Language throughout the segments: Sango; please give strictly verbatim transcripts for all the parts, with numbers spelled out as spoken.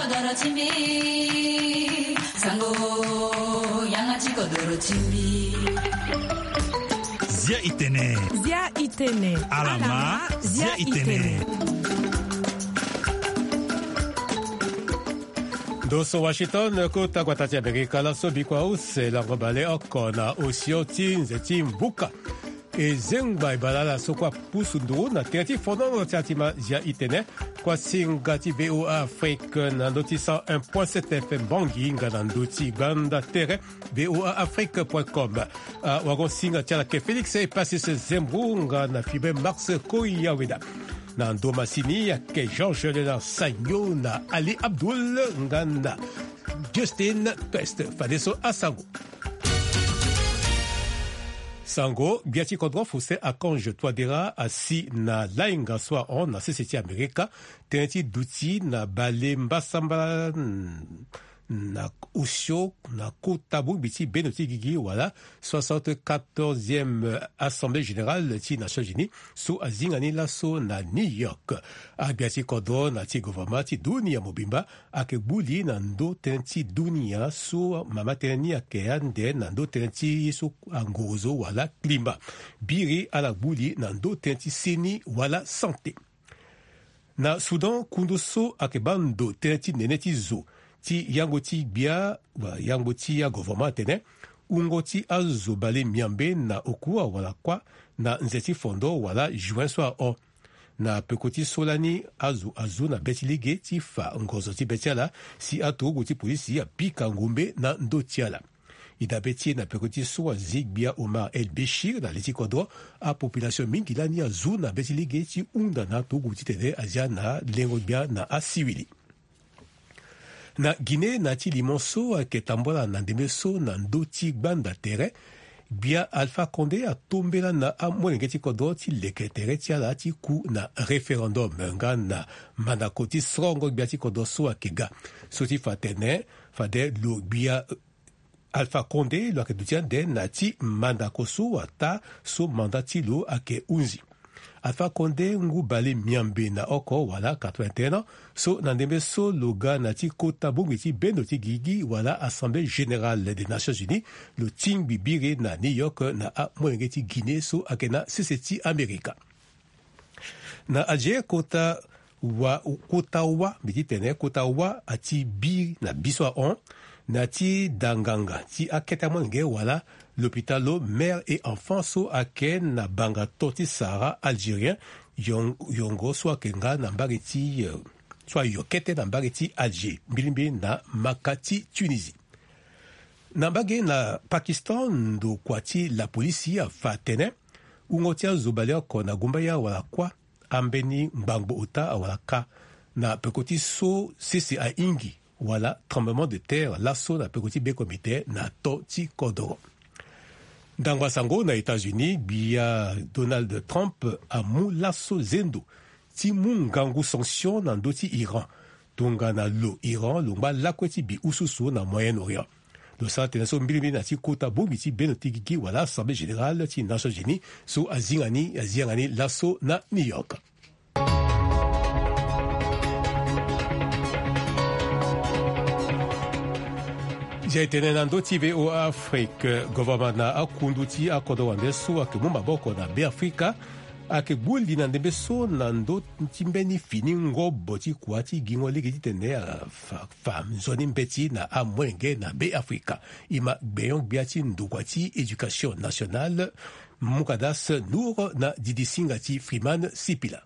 Kodoro ti mbi, sango, yanga ti kodoro ti mbi. Zia itene. Zia itene. Alama, zia itene. Ndo so Washington, kota gbata ti Amerika, laso bikua use lango bale oko na osio ti nze ti mbuka. E zengba e bale ala so kue apusu nduru na tere ti fondoro ti atima Zia itene. Kua singa ti V O A Afrique na ndö ti cent un point sept F M Bangui nga na ndö ti gbanda tere V O A Afrique point com. Ah, wago singa ti ala ke Félix Epasis Zembrou nga na Fibre Max Koyaweda. Na ndo masini ayeke Georges Léonard Sagno na Ali Abdoul nga na Justin Pest. Fadeso asango. Sango, gbia ti kodro Faustin Archange Touadéra asi na lainga so ahon na sese ti Amerika, tënë ti duti na bale mbasambala, mm, na osio na kota bongbi ti bendo ti gigi wala soixante-quatorzième Assemblée Générale ti Nations Unies so azinga ni laso na New York. Agbia ti kodro na ti gouvernement ti dunia mobimba ayeke gbu li na ndö tënë ti dunia so mama tënë ni ayeke ande na ndö tënë ti ye so angorozo wala climat. Biri ala gbu li na ndö tënë ti seni wala santé. Na Soudan, kundu so ayeke baa ndo tënë ti nene ti zo ti yango ti gbia, wa, yango ti agouvernement atene wungo ti azo bale miambe na oku awara kuâ na nze ti fondo wala juin so ahon. Na peko ti so lani azo azu na be ti lege ti fa ngonzo ti be ti ala si aturugu ti polisi apika ngombe na ndö ti ala. E dabe ti e na peko ti so azi gbia Omar El Béchir na li ti kodro, apopulation mingi lani azu na be ti lege ti hunda na aturugu titene azia na lengo gbia na asiwili. Na Guinée, na ti limo so ayeke tambula na ndembe so na ndö ti gbanda tere, gbia Alpha Condé atombela na amolenge ti kodro ti leke tere ti ala ti ku na référendum nga na mandako ti sorongo gbia ti kodro so ayeke ga. So ti fa atene fade lo gbia Alpha Condé lo yeke duti ande na ti mandako so ataa so mandat ti lo ayeke hunzi. Alpha Condé ngu bale miambe na oko wala quatre-vingt-un ans, so na ndembe so lo ga na ti kota bongbi ti bendo ti gigi wala Assemblée Générale des Nations Unies, lo tingbi biri na New York na amolenge ti Guinée so ayeke na sese ti Amerika. Na Alger, kota wa, kota wa, mbi ti tene kota wa ati bi na bi so ahon, na ti da nganga ti akete amolenge wala lopitalo Mère et Enfant so ayeke na banga to ti Sahara algérien, yon-, yongo so ayeke nga na mbage ti, eh, so ayo kete na mbage ti Alger, mbilimbili na maka ti Tunisie. Na mbage na Pakistan, ndokua ti lapolisi afa atene wungo ti azo baleoko na gumbaya wala kuâ, ambeni ngbangbo ota awara kâ, na peko ti so sese ahingi wala tremblement de terre laso na peko ti bekomite na to ti kodoro. Ndangba sango na États-Unis, gbia Donald Trump amu laso zendo ti mu ngangu sanction na ndö ti Iran, tongana lo Iran lo ngba lakue ti bi ususu na Moyen-Orient. Lo sara tënë so mbilimbili na ti kota bongbi ti bendo ti gigi wala Assemblée Générale ti Nations Unies so azinga ni, azi yanga ni laso na New York. Zia e tene na ndö ti V O A Afrique, gouvernement na akundu ti akodro wande so ayeke mu maboko na Beafrika ayeke gbu li na ndembe so na ndö ti mbeni fini ngobo ti kua ti gingo lege titene afa, fa nzoni mbeti na amolenge na Beafrika. E ma gbenyo-gbia ti ndokua ti éducation nationale, Mukadas Nour, na didi singa ti Freeman Sipila.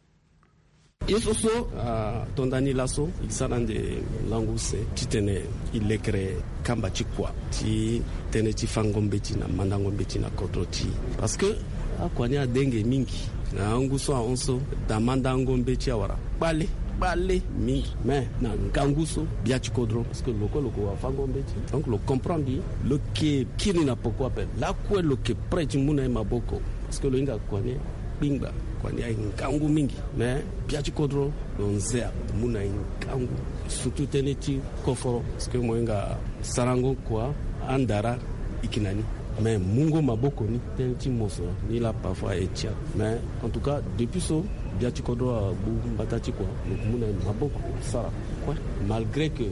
Ye so so ato nda ni laso, e sara ande langu use titene e lekere kamba ti kua ti tënë ti fango mbeti na mandango mbeti na kodro ti e. Parce que akua ni adenge mingi. Na angu so ahon so, da mandango mbeti awara kpale, kpale mingi. Mais na ngangu so, gbia ti kodro, parce que lo kue lo ke wafango mbeti. Donc lo comprendre, lo ke kiri na poko ape. Lakue lo ke prêt ti mu na e maboko. Parce que lo hinga kua ni akpingba, kua ni aye ngangu mingi. Mais gbia ti kodro, lo nze ape mu na e ngangu. Surtout tënë ti koforo. Parce que mo hinga sarango kua, andara, e yeke na ni. Mais mungo maboko ni, tënë ti moso ni laa parfois e ti ape. Mais en tout cas, depuis so, Gbia ti kodro agbu mbata ti kua, lo yeke mu na e maboko lo sara kue. Malgré que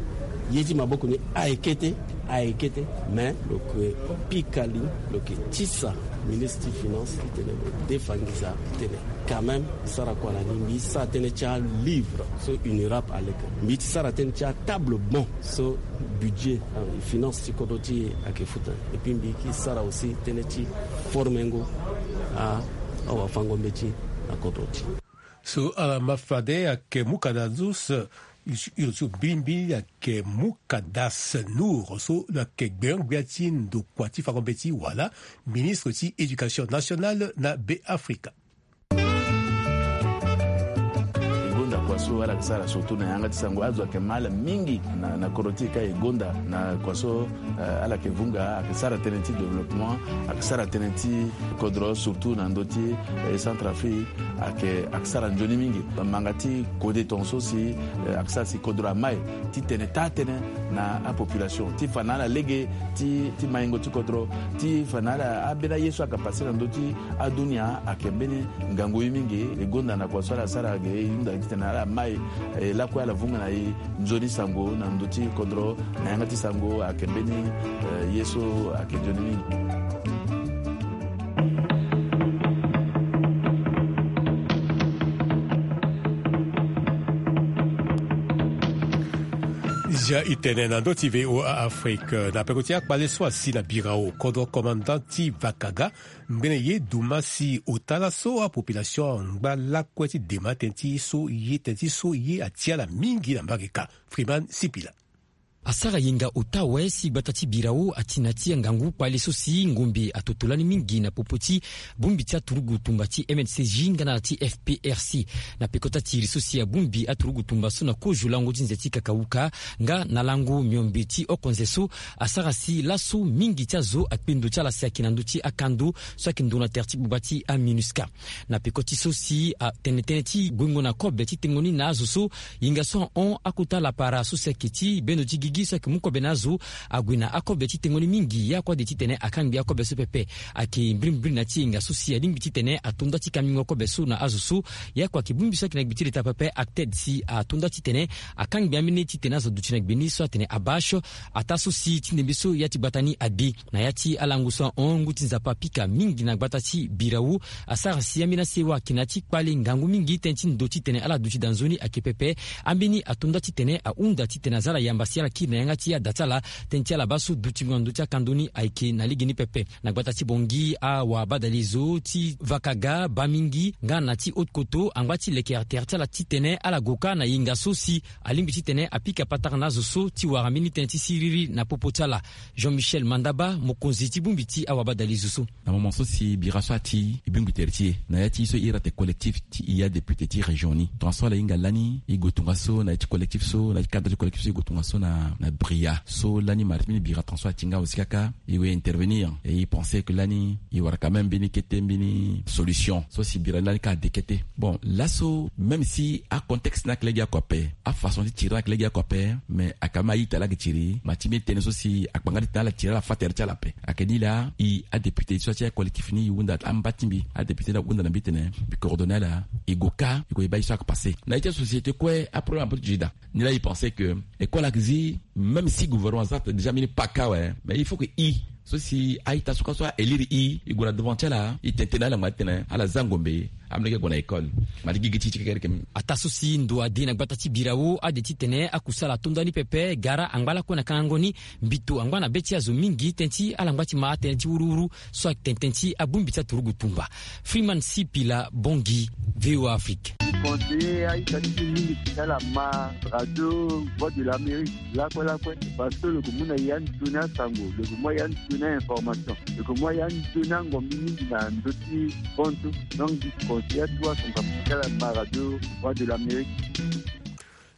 ye ti maboko ni ayeke kete, ayeke kete, mais lo yeke pika li, lo yeke tisa ministre ti finance titene lo defa nginza titene quand même sara kua na ni. Mbi sara tënë ti alivre so UNIRAP aleke. Mbi ti sara tënë ti atable banc so budget, euh, finance ti kodro ti e ayeke futa. Et puis mbi yeke sara aussi tënë ti formengo a, awafango-mbeti na kodro ti e. So ala ma fade ayeke Mukadas, iri so mbirimbiri ayeke Mukadas Nour, so lo yeke gbenyo-gbia ti ndokua ti fango-mbeti wala ministre ti éducation nationale na Beafrika. E gonda kua so ala yeke sara surtout na yanga ti sango. Azo ayeke ma ala mingi na, na kodro ti e ka e gonda na kua so, eh, ala yeke vunga, ayeke sara tënë ti développement, ayeke sara tënë ti kodro surtout na ndö ti, eh, Centrafrique, ayeke, ayeke sara nzoni mingi. Manga ti kode tongaso si, eh, ayeke sara si kodro amai titene taa tënë na apopulation ti fa na ala lege ti, ti maingo ti kodro, ti fa na ala ambeni aye so ayeke pase na ndö ti adunia ayeke mbeni ngangu ye mingi. E gonda na kua so ala sara ge e hunda titene ala mai, eh, lakue ala vunga na e nzoni sango na ndö ti kodro na yanga ti sango ayeke mbeni, eh, ye so ayeke nzoni mingi. Zia e tene na ndö ti V O A Afrique, na peko ti akpale so asi na birao kodro commandant ti Vakaga, ngbene ye duma si ota laso apopulation angba lakue ti dema tënë ti so ye, tënë ti so ye ati ala mingi na mbage ka. Freeman Sipila. Asara yenga ota awe si gbata ti birao ati na ti angangu kpale so si ngombe atoto lani mingi na popo ti bongbi ti aturugu tumba ti M N C J nga na ala ti F P R C. Na peko ti atiri so si abongbi aturugu tumba so na kozo lango ti nze ti kakauka nga na lango miombe ti okonze so, asara si laso mingi ti azo akpendo ti ala si ayeke na ndö ti akando so ayeke ndo na tere ti gbagba ti aMINUSCA. Na peko ti so si atene tënë ti guengo na kobe ti tengo ni na azo so, yenga so ahon akota lapara so si ayeke ti bendo ti gigi so ayeke mu kobe na azo ague na akobe ti tengo ni mingi. Ye akua de titene akangbi akobe so pepe. Ayeke mbirimbiri na ti yenga so si alingbi titene ato nda ti kambingo kobe so na azo so. Ye akua ayeke bongbi so ayeke na gbe ti leta pepe, acted, si ato nda titene akangbi ambeni titene azo duti na gbe ni so atene abasho. Ataa so si ti ndembe so ya ti gbata ni ade. Na ya ti alango so ahon, ngu ti Nzapa apika mingi na gbata ti birao. Asara si ambeni asewa ayeke na ya ti kpale ngangu mingi tënë ti ndo titene ala duti daa nzoni ayeke pepe. Ambeni ato nda titene ahunda titene aza ala yamba si ala kiri na yanga ti ada ti ala. Tënë ti ala baa so dutingo na ndö ti akando ni ayeke na legeni pepe. Na gbata ti Bangui, awabadalezo ti Vakaga, Bamingi nga na ti Haute-Kotto angba ti leke tere ti ala titene ala gue kâ na yenga so si alingbi titene apika patara na azo so ti wara mbeni tënë ti siriri na popo ti ala. Jean-Michel Mandaba, mokonzi ti bongbi ti awabadalezo so. Na moment so si bira so ati e bongbi tere ti e na ya ti e so e iri ate collectif ti e adéputé ti région ni. Tongaso ala hinga lani e gue tongaso na ya ti collectif so, na ya ti cadre ti collectif so e gue tongaso na, na Bria. So lani mara ti mbeni bira tongaso ati nga aussi kaka. E we intervenir et e pensé que lani e wara quand même mbeni kete mbeni solution so si bira lani ka ade kete. Bon, laso même si acontexte ni ayeke lege oko ape, afaçon ti tiri ni ayeke lege oko ape, mais ayeke même a-ita laa ayeke tiri, ma ti mbeni tënë so si akpanga ti tene ala tiri ala fâ tere ti ala ape. Ayeke ni laa e adéputé so ti acollectif ni e hunda amba ti mbi, adéputé ni ahunda na mbi tene mbi coordonné ala, e gue kâ e gue e baa ye so ayeke passé. Na ye ti asociété kue aproblème ape ti tiri daa. Ni laa e pensé que école ayeke zi, même si gouvernement aza déjà mbeni paka awe, mais il faut que e so si a-ita so kue so a-élire e, e gue na devant ti ala, e tene tënë na ala ngba titene ala za ngombe, amolenge ague na école. Ma ti gigi ti e ti kekereke mingi. Ataa so si ndo ade na gbata ti birao, ade titene akusala ato nda ni pepe, gara angba lakue na kangango ni, mbito angba na be ti azo mingi tënë ti ala ngba ti ma atënë ti wuruwuru so atene tënë ti abongbi ti aturugu tumba. Freeman Sipila, Bangui, V O A Afrique. Conseiller a-ita ti e mingi ti ala ma radio Voix de l'Amérique lakue lakue, parce que lo yeke mu na e anzoni asango, lo yeke mu a-e anzoni a-information, lo yeke mu a-e anzoni angombi mingi na ndö ti hon so. Donc mbi conseiller atu asango ape ti ala ma radio Voix de l'Amérique.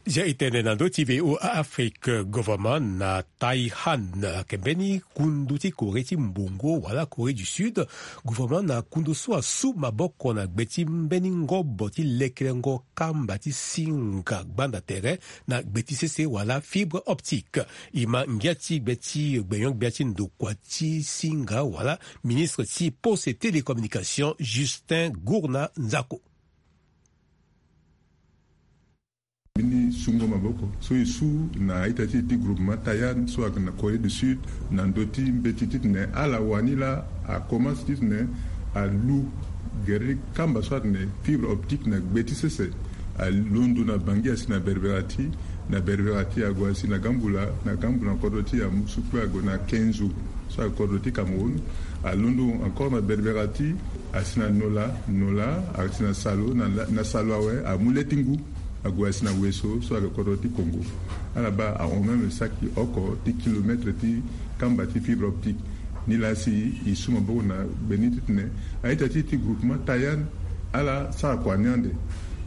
Zia e tene na ndö ti V O A Afrique, gouvernement na Taiwan ayeke mbeni kundu ti Corée ti mbongo wala Corée du Sud. Gouvernement na kundu so asu maboko na gbe ti mbeni ngobo ti lekelengo kamba ti singa gbanda tere na gbe ti sese wala fibre optique. E ma ngia ti gbe ti gbenyo-gbia ti ndokua ti singa wala ministre ti poste et télécommunication, Justin Gourna Nzako. Mbeni sungo maboko so e su na a-ita ti e ti groupement Tayan so ayeke na Corée du Sud, na ndö ti mbeti titene ala wani laa akomanse titene alu gere ti kamba so atene fibre optique na gbe ti sese. Alondo na Bangui asi na Berbera ti, na Berbera ti ague asi na Gambula, na Gambula na kodro ti amu su kue ague na Kenzo so ayeke kodro ti Cameroun. Alondo encore na Berbera ti asi na Nola, Nola asi na Salo, na, na Salo awe amu le ti ngu ague asi na Weso so ayeke kodro ti Congo. Ala baa ahon même saki oko ti kilomètre ti kamba ti fibre optique. Nilaa si e su maboko na gbe ni titene a-ita ti e ti groupement Tayan ala sara kua ni ande.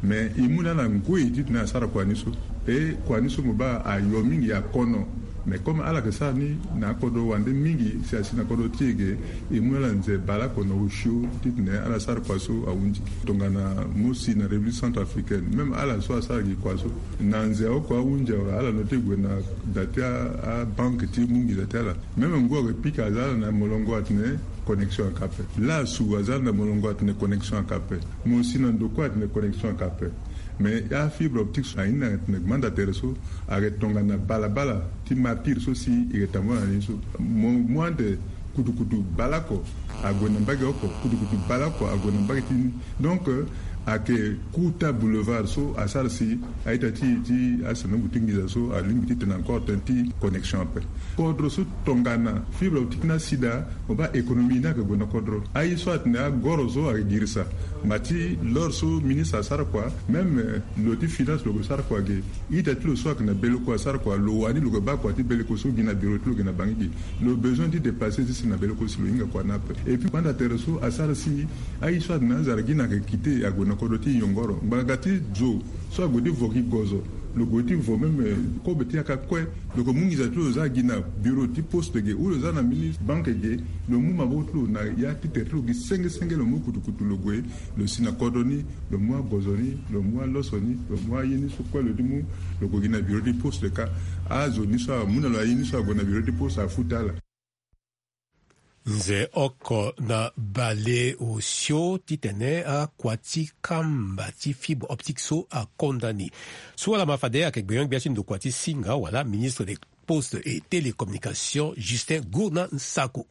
Mais e mu na ala ngoi titene asara kua ni so. E kua ni so mo baa ayo mingi, akono. Mais comme ala yeke sara ni na akodro wande mingi si asi na kodro ti e ge, e mu na ala nze baleoko na osio titene ala sara kua so ahunzi. Tongana mo si na République centrafricaine, même ala so asara gi kua so, na nze oko ahunzi awe, ala no ti gue na da ti a, abanke ti mu nginza ti ala. Même ngu ayeke pika aza ala na molongo atene connexion ayeke ape. Lasu aza ala na molongo atene connexion ayeke ape. Mo si na ndo kue atene connexion ayeke ape. Mais afibre optique so aye ni atene gbanda tere so ayeke tongana balabala ti martyr so si e yeke tambula na ni so. Mo mu ande kutukutu baleoko ague na mbage oko, kutukutu baleoko ague na mbage ti ni. Donc, euh, ayeke Kuta Boulevard so asara si a-ita ti e ti asanongo ti nginza so alingbi titene encore tënë ti connexion ape. Kodro so tongana fibre optique ni asi daa, mo baa économie ni ayeke gue na kodro. Aye so atene agoro so ayeke girisa. Ma ti l'heure so ministre asara kua, même, euh, lo ti finance lo yeke sara kua ge. Ita ti lo so ayeke na Beleko asara kua, lo wani lo yeke baa kua ti Beleko so gi na bureau ti lo ge na Bangui ge. Lo besoin ti déplacer ti si na Beleko si lo hinga kua ni ape. Et puis gbanda tere so asara si aye so atene azara gi na ayeke quitté ague na kodro ti yongoro. Ngbanga ti zo so ague ti vo gi gozo, lo gue ti vo même, euh, kobe ti yaka kue. Lo yeke mu nginza ti lo za gi na bureau ti poste ge, ou lo za na mbeni banke ge, lo mu maboko ti lo na ya ti tere ti lo gi senge senge, lo mu kutukutu lo gue, lo si na kodro ni, lo mu agozo ni, lo mu aloso ni, lo mu aye ni so kue lo ti mu, lo gue gi na bureau ti poste ka. Azo ni so amu na lo aye ni so ague na bureau ti poste afuta ala. Nze oko na bale osio titene akua ti kamba ti fibre optique so akonda ni. So ala ma fade ayeke gbenyo-gbia ti ndokua ti singa wala ministre des postes et télécommunications Justin Gourna Nsako.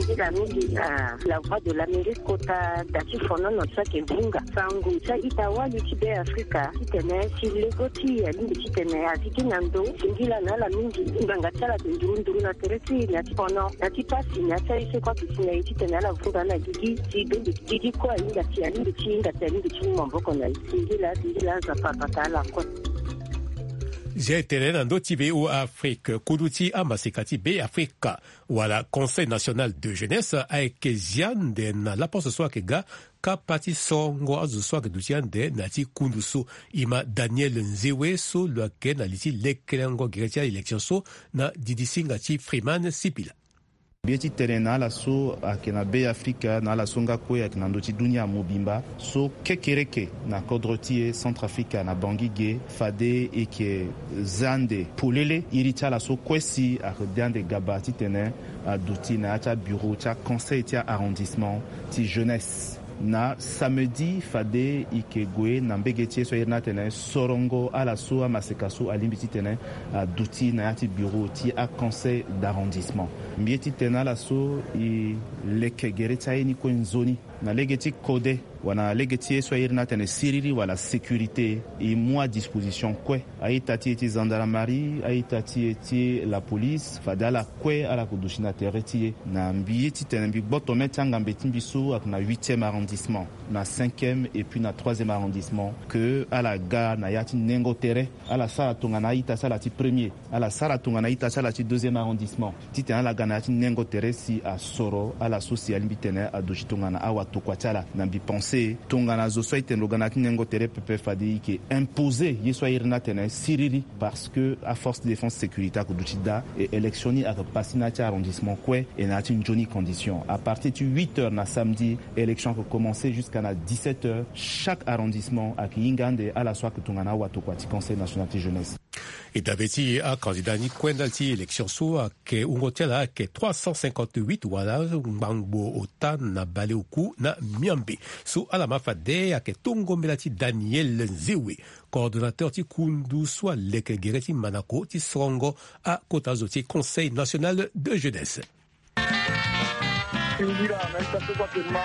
Nzila mingi na la Voix de l'Amérique kota da ti fonono so ayeke vunga sango ti a-ita wali ti Be Afrika titene si lego ti e alingbi titene azi gi na ndo. Singila na ala mingi, ngbanga ti ala ayeke nduru nduru na tere ti e na ya ti fono, na ya ti pasi, na ya ti aye so kue ayeke si na e titene ala vunga na gigi. Si be mbi gigi kue ahinga si alingbi ti hinga si alingbi ti mu maboko na e. Singila, singila, Nzapa abata ala kue. Zia e tene na ndö ti V O A Afrique, kudu ti amaseka ti Be Afrika wala Conseil National de Jeunesse ayeke zia ande na laposo so ayeke ga kapa ti sorongo azo so ayeke duti ande na ya ti kundu so. E ma Daniel Nzewe so lo yeke na li ti lekerengo gere ti a-élection so na didisinga ti Freeman Sipila. Mbi ye ti tene na ala so ayeke na Be Afrika, na ala so nga kue ayeke na ndö ti dunia mobimba, so kekereke na kodro ti e Centrafrique na Bangui ge, fade e yeke za ande polele iri ti ala so kue si ayeke de ande gaba titene aduti na ya ti abureau ti aconseil ti a-arrondissement ti jeunesse. Na samedi fade e yeke gue na mbege ti e so a iri ni atene sorongo ala so amaseka so alingbi titene aduti na ya ti bureau ti aconseil d'arrondissement. Mbi ye ti tene na ala so e leke gere ti aye ni kue nzoni na lege ti kode wala na lege ti ye so a iri ni atene siriri wala sécurité. E mu adisposition kue, a-ita ti e ti gendarmerie, a-ita ti e ti la police, fade ala kue ala yeke duti na tere ti e. Na mbi ye titene mbi gboto mê ti angambe ti mbi so ayeke na huitième arrondissement, na cinquième et puis na troisième arrondissement, ke ala ga na ya ti nengo tere. Ala sara tongana a-ita ti ala ti premier, ala sara tongana a-ita ti ala ti deuxième arrondissement, titene ala ga na ya ti nengo tere si asoro ala so si alingbi tene aduti tongana awatokua ti ala. Na mbi pense tongana zo so a-ita lo ga na ya ti nengo tere pepe, fade e yeke imposer ye so a iri ni atene siriri, parce que aforce de défense sécurité ayeke duti daa, e élection ni ayeke pasi na ya ti arrondissement kue, e na ya ti nzoni condition. À partir ti huit heures na samedi, élection ayeke commencer jusqu'à na dix-sept heures. Chaque arrondissement ayeke hinga ande ala so ayeke tongana awatokua ti Conseil national ti jeunesse. E dabe ti akandida ni kue ndali ti élection so ayeke wungo ti ala ayeke trois cent cinquante-huit wala ngbangbo ota na baleoku na miambe. So ala ma fade ayeke tongo mbela ti Daniel Nzewe, coordonnateur ti kundu so aleke gere ti manako ti sorongo akota zo ti Conseil national de jeunesse. Singira na ita so kue ake ma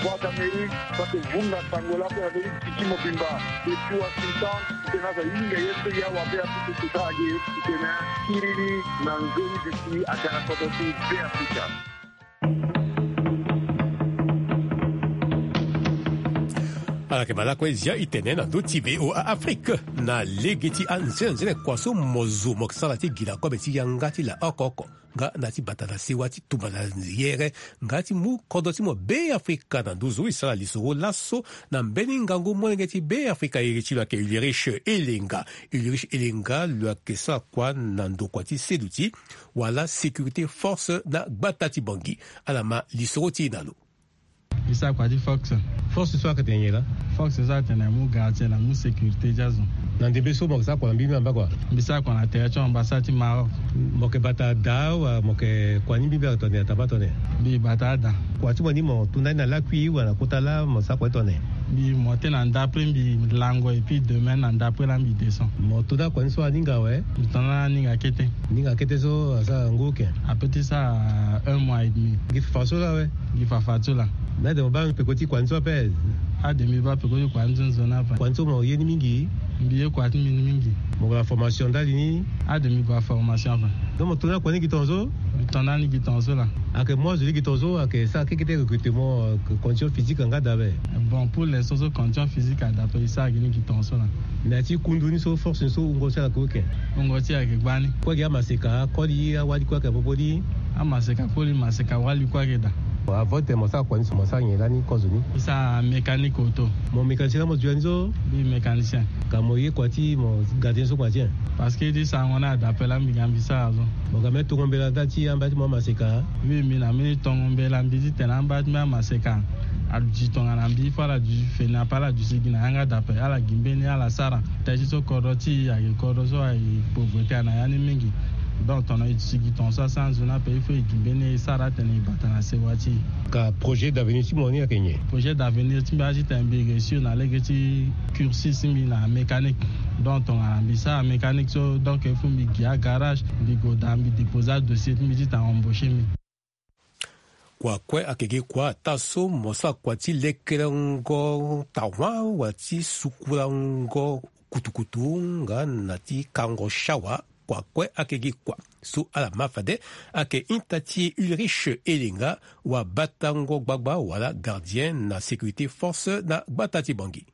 Voix d'Amérique so ake vunga sango lako na be ti tiki mobimba depuis Washington. Tena za hinga ye so ya wa be apupu kuta age. Tena kiriri na nzoni bisi aga na kodro ti Beafrika. Ala yeke ma lakue zia itene na ndö ti V O A Afrique na lege ti anzenanzene kua so mo zo mo yeke sara ti gi na kobe ti yanga ti la oko oko. Nga na ti bata na sewa ti tumba na yere nga ti mu kodro ti mo Beafrika na nduzu. E sara lisoro laso na mbeni ngangu molenge ti Beafrika iri ti lo ayeke Ulrich Elenga. Ulrich Elenga lo yeke sara kua na ndokua ti seduti wala sécurité force na gbata ti Bangui. Ala ma lisoro ti e na lo. Mbi sara kua ti force. Force so ayeke tene nyen laa? Force so atene amu gardien na amu sécurité ti azo. Na ndembe so mo yeke sara kua na mbi mbi amba kua? Mbi sara kua na tere ti ambassade ti Maroc. Mo yeke bata da wala mo yeke kua ni mbi mbi ayeke tene ataba tene? Mbi bata ada. Kua ti mo ni mo tunda ni na lakui wala na kota laa mo sara kua ti tene? Mbi monte na ndapre mbi lango et puis demain na ndapre laa mbi descend. Mo tunda kua ni so aninga awe? Mbi tunda na aninga kete. Aninga kete so asara ngu oke? Ape ti sara un mois et demi. Gi fafa so laa awe? Gi fafa so laa. Na ade mo baa peko ti kua ni so ape? Ade mbi baa peko ti kua ni so nzoni ape. Kua ni so mo ye ni mingi? Mbi ye kua ti mbi ni mingi. Mo gue na formation ndali ni? Ade mbi gue na formation ape. Donc mo tunda kua ni gi tongaso? Mbi tunda ni gi tongaso laa. Ayeke mu azo ni gi tongaso, ayeke sara kekete recrutement, euh, condition physique nga daa ape? Bon, pour l'instant so condition physique ada ape, e sara gi ni gi tongaso laa. Na ya ti kundu ni so force ni so wungo ti ala kue? Wungo ti ala ayeke gbani. Kue gi amaseka, koli, awali kue ayeke popo ni? Amaseka koli, maseka wali kue ayeke daa. Bon, avant ti tene mo sara kua ni so mo sara nyen lani kozo ni? E sara mécanique auto. Mo mécanicien laa mo zo ya ni so? Mbi mécanicien. Ka mo ye kua ti mo gardien so kua ti en? Parce que ti sarango ni ada ape laa mbi ga mbi sara so. Mo ga même tongo mbela ndali ti amba ti mo amaseka? Oui, mbi na mbeni tongo mbela mbi ti tene amba ti mbi amaseka aduti tongana mbi fo ala duti feni ape ala duti gi na yanga dape ala gi mbeni ala sara. Teti so kodro ti e ayeke kodro so ayeke pauvreté ana ya ni mingi. Donc tongana e duti gi tongaso asara nzoni ape il faut e gi mbeni e sara atene e bata na sewa ti e. Ka projet d'avenir ti mo ni ayeke nyen? Projet d'avenir ti mbi aye ti tene mbi réussir na lege ti cursus ti mbi na mécanique. Donc tongana mbi sara mécanique so donc il faut mbi gi agarage mbi gue daa mbi déposer adossier ti mbi ti tene embaucher mbi. Kua kue ayeke gi kua ataa so mo sara kua ti lekerengo tawa wala ti sukulango kutukutu nga na ti kango shawa. Kua kue ayeke gi kua so ala ma fade ayeke ita ti Ulrich Elenga, wabatango gbagba wala gardien na sécurité force na gbata ti Bangui.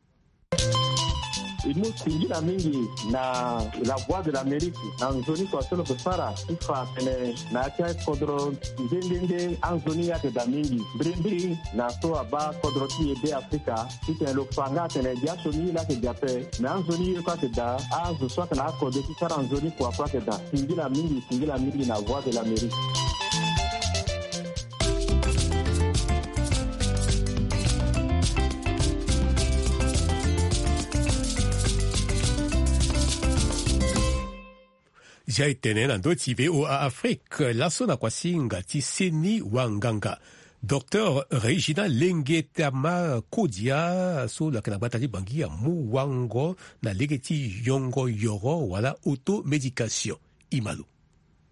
E mu singila mingi na La Voix de l'Amérique na nzoni kua so lo yeke sara ti fa atene na ya ti akodro nde nde nde anzoni ayeke daa mingi mbirimbiri na so abaa kodro ti e Beafrika. Titene lo fa nga atene gi asioni ye laa ayeke daa ape. Me anzoni ye kue ayeke daa azo so ayeke na akode ti sara nzoni kua kue ayeke daa. Singila mingi, singila mingi na Voix de l'Amérique. Zia e tene na ndö ti V O A Afrique laso na kuasinga ti seni wanganga. Docteur Regina Lengetama Kodia so lo yeke na gbata ti Bangui amu wango na lege ti yongo yoro wala automédication. Imalo.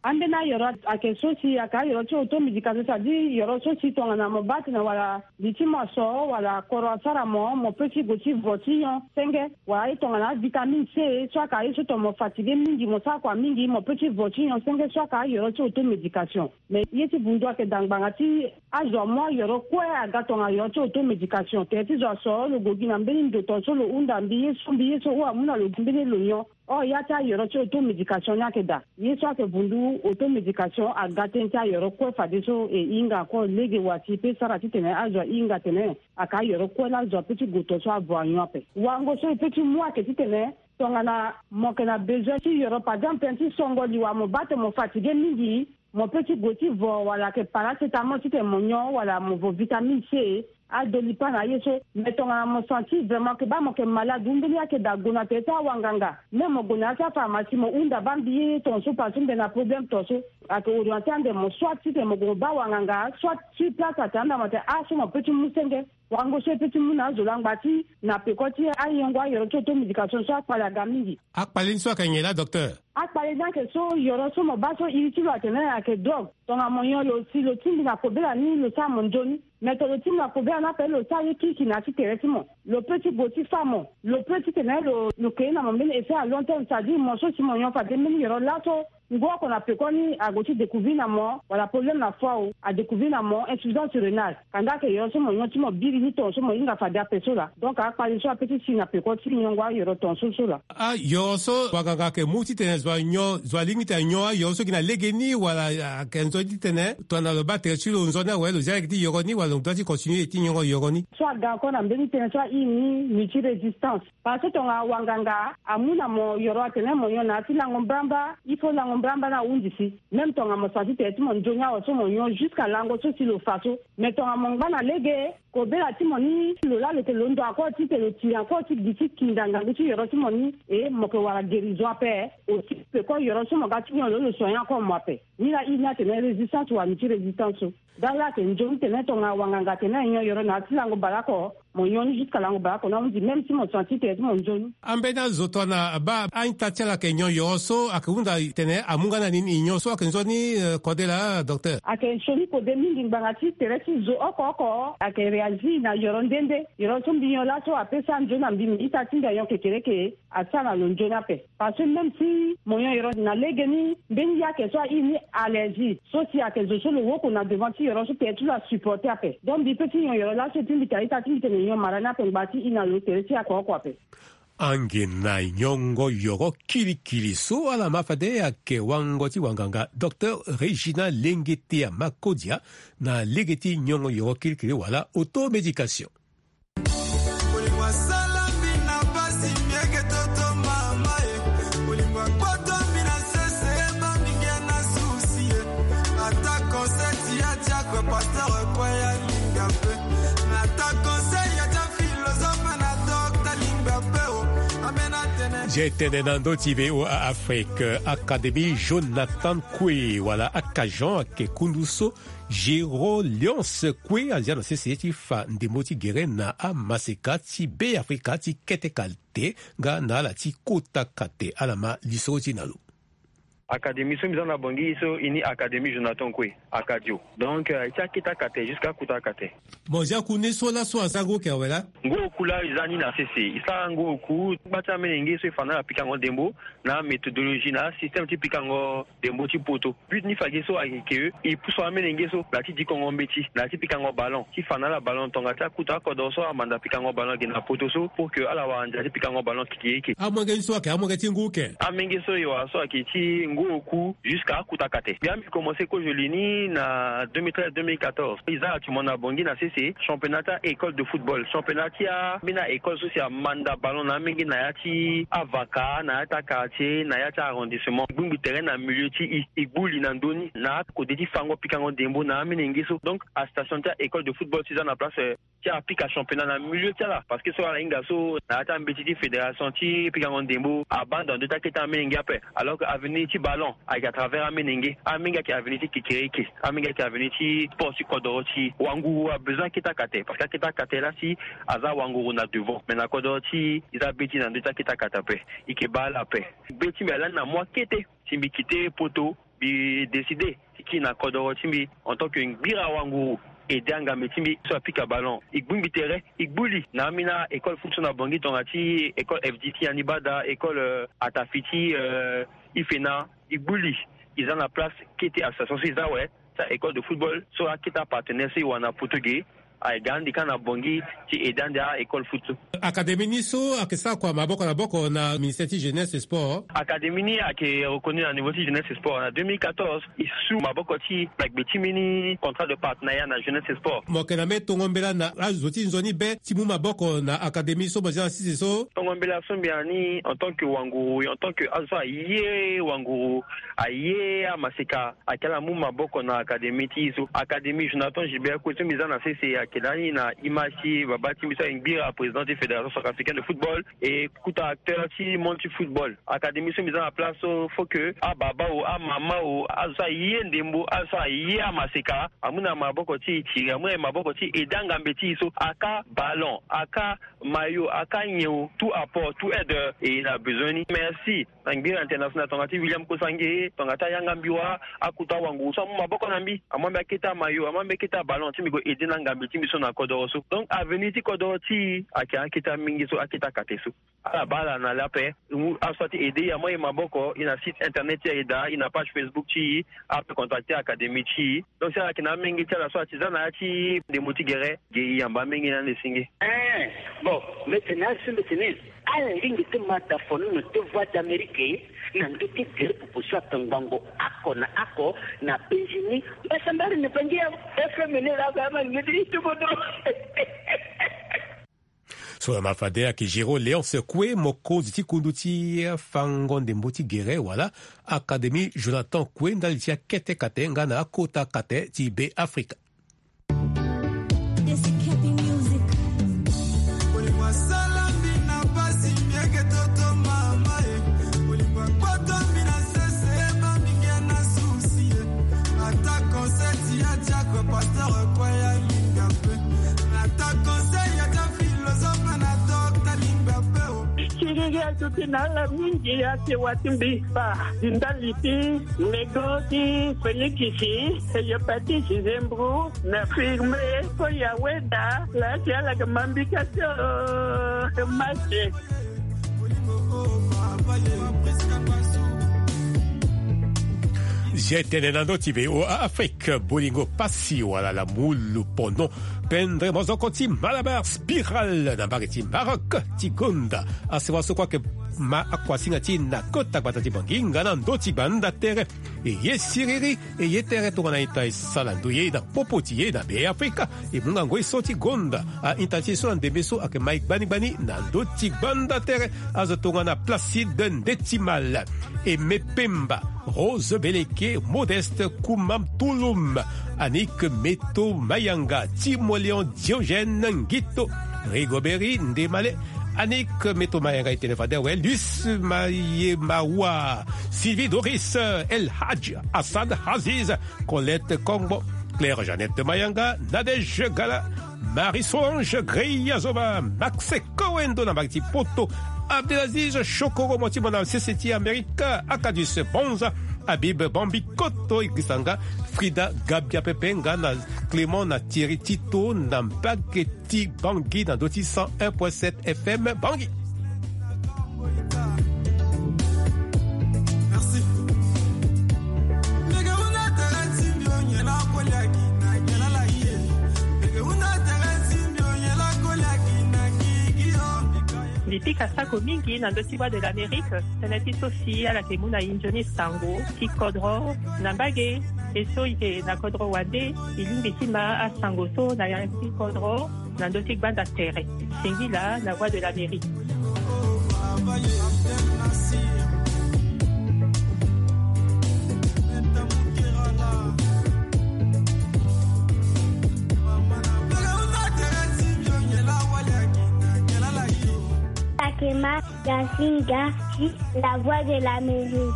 Ambeni ayoro ayeke so si ayeke ayoro ti automédication, c'est-à-dire yoro so si tongana mo baa tene wala li ti mo aso wala koro asara mo, mo peut ti gue ti vo ti nyon senge, wala aye tongana avitamine C so ayeke aye so tongana mo fatigué mingi mo sara kua mingi mo peut ti vo ti nyon senge, so ayeke ayoro ti automédication. Mais ye ti vundu ayeke daa ngbanga ti azo amu ayoro kue aga tongana ayoro ti automédication. Tere ti zo aso lo gue gi na mbeni ndo tonga so lo hunda mbi ye so mbi ye so hou amu na lo gi mbeni lo nyon. Or ya ti ayoro ti automédication ni ayeke daa. Ye so ayeke vundu automédication aga tënë ti ayoro kue fadeso e hinga kue lege wa si e peut sara titene azo ahinga atene ayeke ayoro kue laa azo apeut ti gue tonga so avo anyon ape. Wango so e peut ti mu ayeke titene tongana mo yeke na besoin ti yoro par exemple tënë ti songo liwa mo baa tene mo fatigué mingi. Mo pe ti gue ti vo wala ayeke paracétamol titene mo nyon wala mo vo vitamine C, adolipa na aye so. Mais tongana mo senti vraiment ke baa mo yeke malade ou mbeni ayeke daa gue na tere ti awanganga, même mo gue na ya ti apharmacie mo hunda baa mbi ye tongaso parce que mbi na problème tongaso. Ayeke orienté ande mo soit titene mo gue mo baa wanganga, soit sur place atene ande mo atene ah so mo pe ti mu senge. Wango so e pe ti mu na azo langba ti na peko ti ayongo ayoro ti auto médication so akpale aga mingi. Akpale ni so ayeke nyen laa docteur? Akpale ni ayeke so yoro so mo baa so iri ti lo atene ayeke drogue. Tongana mo nyon lo si lo tingbi na kobela ni lo sara mo nzoni. Mais tongana lo tingbi na kobela ni ape lo sara ye kirikiri na ya ti tere ti mo. Lo pe ti gue ti fa mo. Lo pe titene lo lo ke ye na mo mbeni effet à long terme, c'est-à-dire mo so si mo nyon fade mbeni yoro laso ngu oko na pekoni ague ti découvrir na mo wala problème na foie o, adécouvrir na mo insuffisance rénale. Kanda ayeke yoro so mo nyon ti mo biri ni tongaso mo hinga fade ape so laa. Donc akpale so ape ti si na peko ti nyongo ayoro tongaso so laa. Ayoro so wanganga ayeke mu titene zo anyon, zo alingbi titene anyon ayoro so gi na lege ni wala ayeke nzoni titene tongana lo baa tere ti lo nzoni awe lo zia lege ti yoro ni wala lo doit ti continuer ti nyongo yoro ni? So aga encore na mbeni tënë so airi ni multirésistance. Parce que tongana wanganga amu na mo yoro atene mo nyon na ya ti lango mbrambra, il faut lango mbrambra ni ahunzi si. Même tongana mo senti tere ti mo nzoni awe so mo nyon jusqu'à lango so si lo fa so. Mais tongana mo ngba na lege kobela ti mo ni lo laa lo yeke londo encore titene lo tiri encore ti gi ti kinda ngangu ti yoro ti mo ni. E mo yeke wara guérison ape. Aussi peko yoro so mo ga ti nyon lo lo soigner encore mo ape. Ni laa iri ni atene résistance wala multirésistance so. Dala ayeke nzoni tene tongana wanganga atene nyon yoro na ya ti lango baleoko, mo nyon ni jusqu'à lango baleoko ni ahunzi même si mo senti tere ti mo nzoni. Ambeni azo tongana abaa a-ita ti ala ayeke nyon yoro so ayeke hunda tene amu nga na nini? Nyon so ayeke nzoni kode laa docteur? Ayeke sioni kode mingi ngbanga ti tere ti zo oko oko ayeke réagir na yoro nde nde. Yoro so mbi nyon laso ape sara nzoni na mbi, mbi ita ti mbi anyon kekereke. Asara na lo nzoni ape. Parce que même si mo nyon yoro na lege ni mbeni yake so airi ni allergie so si ayeke zo so lo woko na devant ti yoro so tere ti lo asupporter ape. Donc mbi pe ti nyon yoro laso ti mbi tene a-ita ti mbi tene nyon mara ni ape ngbanga ti iri na lo tere ti yake oko ape. Ange na nyongo yoro kirikiri so ala ma fade ayeke wango ti wanganga docteur Régina Lengetea Makodia na lege ti nyongo yoro kirikiri wala automédication. Bolingo asala mbi na mpasi, mbi eke toto mama e. Bolingo akpoto mbi na sese, eba mbi nge na susi e. Ata conseil ti ya ti akue pasteur kue ya linga mpe. Na ata conseil ya ti aphilosophe na docteur linga mpe o. Amena tene. Nze tene na ndö ti V O A Afrique, Académie Jonathan Kwe wala Akajan ayeke kundu so Géro Léonce Kwe azia na sese ti fa ndembo ti gere na amaseka ti Beafrika ti kete kate nga na ala ti kota kate. Ala ma lisoro ti e na lo. Académie so mbi za na Bangui so e ni Académie Jonathan Kwe, Akajo. Donc, euh, ti akete kate jusqu'à kota kate. Mo zia kundu ni so laso asara ngu oku awe laa? Ngu oku laa e za ni na sese. E sara ngu oku, gba ti amenenge so e fa na ala pikango ndembo, na améthodologie, na asystème ti pikango ndembo ti poto. But ni fade so ayeke ke e pusu amenenge so na ya ti dikongo mbeti, na ya ti pikango ballon, ti fa na ala ballon tonga ti akuta akodoro so amanda pikango ballon ge na poto so, pour que ala wara ndia ti pikango ballon keke eke. Amolenge ni so ayeke amolenge ti ngu oku? Amolenge so e wara so ayeke ti ngu oku jusqu'à akuta kate. Mbi amenga komanse kozo li ni na deux mille treize deux mille quatorze. E za actuellement na Bangui na sese championnat ti a-école de football, championnat ti ambeni a-école so si amanda ballon na amolenge na ya ti avaka, na ya ti a-quartier, na ya ti arrondissement. E gbingbi tere na milieu ti e, e gbu li na ndö ni na akode ti fango pikango ndembo na amenenge so. Donc astation ti a-école de football so e za na place, euh, ti apika championnat na milieu ti ala, parce que so ala hinga so na ya ti ambeti ti fédération ti pikango ndembo abaa ndo na ndö ti akete amenenge ape. Alors que avenir ti ballon ayeke à travers amenenge. Amenenge ayeke avenir ti kekereke. Amenenge ayeke avenir ti sport ti kodoro ti e. Wanguru abezoin akete akate, parce que akete akate laa si aza wanguru na devant. Mais na kodoro ti e, e za be ti e na ndö ti akete akate ape. E yeke baa ala ape. Be ti mbi alani na mois kete si mbi kite poto, mbi décidé ti kiri na kodoro ti mbi en tant que ngbira wanguru, aidé angambe ti mbi so apika ballon. E gbingbi tere, e gbu li na ambeni a-école foot so na Bangui tonga ti école F D T Anibada, école, euh, Atafi ti, euh, Ifena. E gbu li, e za na place kete association so e za awe, ti a-école de football so akete apartenaire so e wara na poto ge. Aye ga andi kâ na Bangui ti aide ande a-école foot so. Académie ni so ayeke sara kua maboko na maboko na ministère ti jeunesse et sport. Académie ni ayeke reconnu na niveau ti jeunesse et sport na deux mille quatorze. E su maboko ti na gbe ti mbeni contrat de partenariat na jeunesse et sport. Mo yeke na mbeni tongo mbela na azo ti nzoni be ti mu maboko na académie so mo zia na sese so. Tongo mbela so mbi na ni en tant que wanguru, en tant que azo so aye wanguru, aye amaseka, ayeke ala mu maboko na académie ti e so. Académie Jonathan Gilbert Koué so mbi za na sese ayeke lani na image ti baba ti mbi so aye ngbira président ti fédération centrafricaine de football, e kota acteur ti monde ti football. Académie so mbi za na place so, faut que ababa o, amama o, azo so aye ndembo, azo so aye amaseka, amu na maboko ti e tiri, amu na maboko ti e aide angambe ti e so, aka ballon, aka maillot, aka nyen o, tout apport, tout aide, e na besoin ni. Merci na ngbira international, tongana ti William Kosange, tongana ti Ayanga Mbiwa, akota wanguru so amu maboko na mbi, amu na mbi akete amaillot, amu na mbi akete aballon ti mbi gue aide na ngambe ti mbi so na kodoro so. Donc avenir ti kodoro ti e ayeke akete mingi so, akete akate so. Ala baa ala na lê ape, azo so ati aide e, amu e maboko, e na site internet ti e, aye daa, e na page Facebook ti e, ape contacter académie ti e. Donc si ala yeke na amenge ti ala so ati za na ya ti ndembo ti gere, ge e yamba amenge ni ande singe. Eh, bon, mbi tene azo so mbi tene ala lingbi ti ma da fonono ti Voix d'Amérique na ndö ti gere popo so atongbango oko na oko na Benjini. Mbi sambari na Bangi ya F M ni laa, mbi ama lingbi ti ti kodro. So na ma fade ayeke Géraud Léonce Koué, mokonzi ti kundu ti fango ndembo ti gere wala Académie Jonathan Koué, ndali ti akete kate nga na akota kate ti Be Afrika. Siriri azo ti na ala mingi ake wa ti mbi kpa ti ndali ti nego ti Félix, e yepatisi zembro na firme so ya weda laa si ala yeke ma mbi ka ti o. Mase. Zia tene na ndö ti V O A Afrique, bolingo pasi wala la mulu pono. Pendre mozoko ti Malabar Spiral na mbage ti Maroc ti gonda asewa so kue ayeke ma akuasinga ti e na kota gbata ti Bangui nga na ndö ti gbanda tere. E ye siriri, e ye tere tongana ita e sara ndoye na popo ti e na Be Afrika. E mu ngangu e so ti gonda a-ita ti e so na ndembe so ayeke ma e gbani gbani na ndö ti gbanda tere. Azo tongana Placide Ndetimal, Aimé Pemba, Rose Beleke, Modeste Koumam Touloum, Annick Meto Mayanga, Timoléon Diogène Ngito, Rigobert Ndemale, Annick Meto Mayanga, e tene fade awe, Luce Mayemawa, Sylvie Doris, El Hadj Hassan Aziz, Colette Kongbo, Claire Jeannette Mayanga, Nadège Gala, Marie-Solange Greya Zoba, Max Kowendo na mbage ti Poto, Abdelaziz Chokoro, mo ti mo na sese ti Amerika, Akadus Bonza, Habib Bambi Koto, Igrisanga, Frida Gabia Pepe nga na Clément na Thierry Tito na mbage ti Bangui na ndö ti cent un point sept F M Bangui. Mbi pika sako mingi na ndö ti Voix de l'Amérique, tënë ti so si ala yeke mu na e nzoni sango ti kodro na mbage. E so e yeke na kodro wande, e lingbi ti ma asango so na ya ti kodro na ndö ti gbanda tere. Singila na Voix de l'Amérique. Akema Gasinga, la Voix de l'Amérique.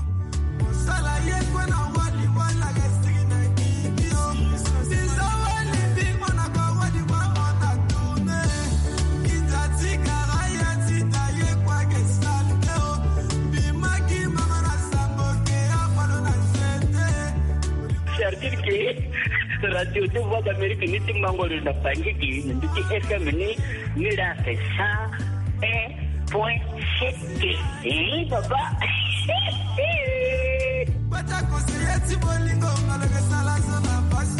C'est-à-dire que radio de Voix d'Amérique ni ti mango na Bangui, ni ti F M ni, ni la c'est cent un point sept. Eh, papa. Bata conseiller ti bolingo, malgré ça, la zone a pas.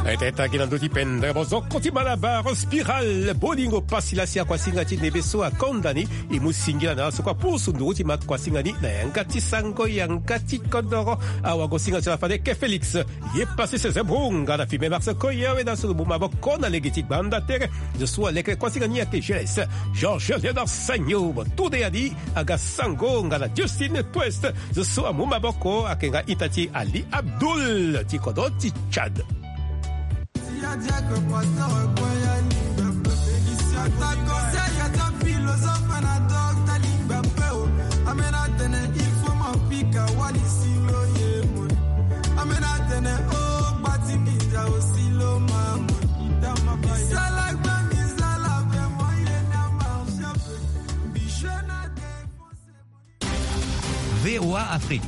Ete tangi na ndö ti pendere bozoko ti Malabar Spiral. Bolingo pasi lasi akuasinga ti ndembe so akonda ni. E mu singila na ala so kue apusu nduru ti makuasinga ni na yanga ti sango yanga ti kodoro. Awagosinga ti ala fade ke Félix. Ye pasi sese bonga na filme Marseille koya weda so lo mu maboko na lege ti gbanda tere. Zo so aleke kuasinga ni ayeke Geles Georges Léonard Sagno. Mo tude ya ni aga sango nga na Justin Twest. Zo so amu maboko ayeke nga ita ti Ali Abdul ti kodro ti Tchad. V O A Afrique.